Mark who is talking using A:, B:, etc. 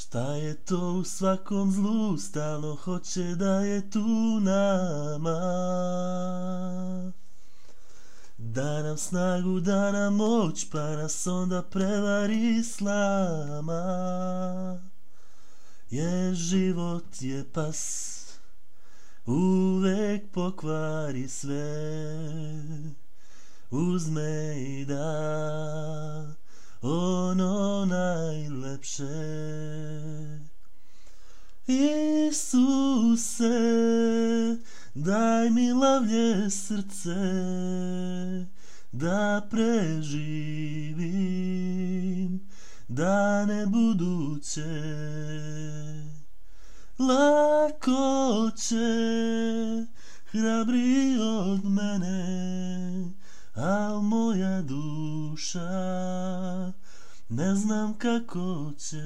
A: Šta je to u svakom zlu, stalno hoće da je tu nama. Da nam snagu, da nam moć, pa nas onda prevari slama. Jer život je pas, uvek pokvari sve. Uzme i da ono najlepše. Isuse, daj mi lavlje srce, da preživim dane buduće. Lako će, hrabri od mene, al moja duša ne znam kako će.